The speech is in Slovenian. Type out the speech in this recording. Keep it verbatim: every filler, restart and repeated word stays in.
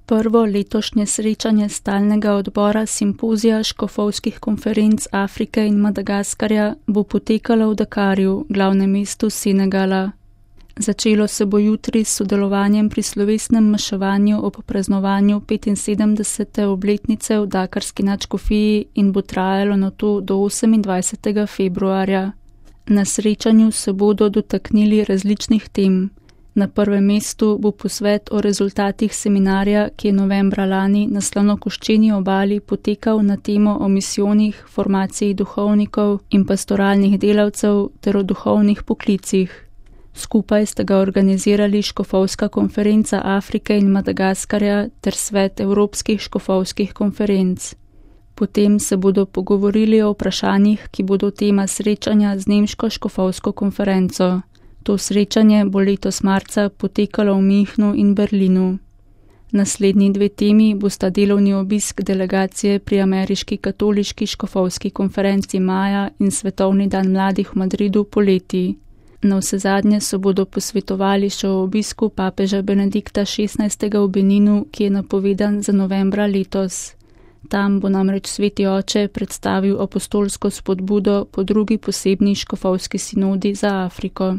Prvo letošnje srečanje stalnega odbora simpozija škofovskih konferenc Afrike in Madagaskarja bo potekalo v Dakarju, glavnem mestu Senegala. Začelo se bo jutri s sodelovanjem pri slovesnem maševanju ob praznovanju petinsedemdesete obletnice v dakarski nadškofiji in bo trajalo nato do osemindvajsetega februarja. Na srečanju se bodo dotaknili različnih tem. Na prvem mestu bo posvet o rezultatih seminarja, ki je novembra lani na Slanokoščeni obali potekal na temo o misijonih, formaciji duhovnikov in pastoralnih delavcev ter o duhovnih poklicih. Skupaj sta ga organizirali Škofovska konferenca Afrike in Madagaskarja ter Svet Evropskih škofovskih konferenc. Potem se bodo pogovorili o vprašanjih, ki bodo tema srečanja z Nemško škofovsko konferenco. To srečanje bo letos marca potekalo v Münchnu in Berlinu. Naslednji dve temi bosta delovni obisk delegacije pri Ameriški katoliški škofovski konferenci maja in Svetovni dan mladih v Madridu poleti. Navsezadnje se bodo posvetovali še o obisku papeža Benedikta šestnajstega v Beninu, ki je napovedan za novembra letos. Tam bo namreč sveti oče predstavil apostolsko spodbudo po drugi posebni škofovski sinodi za Afriko.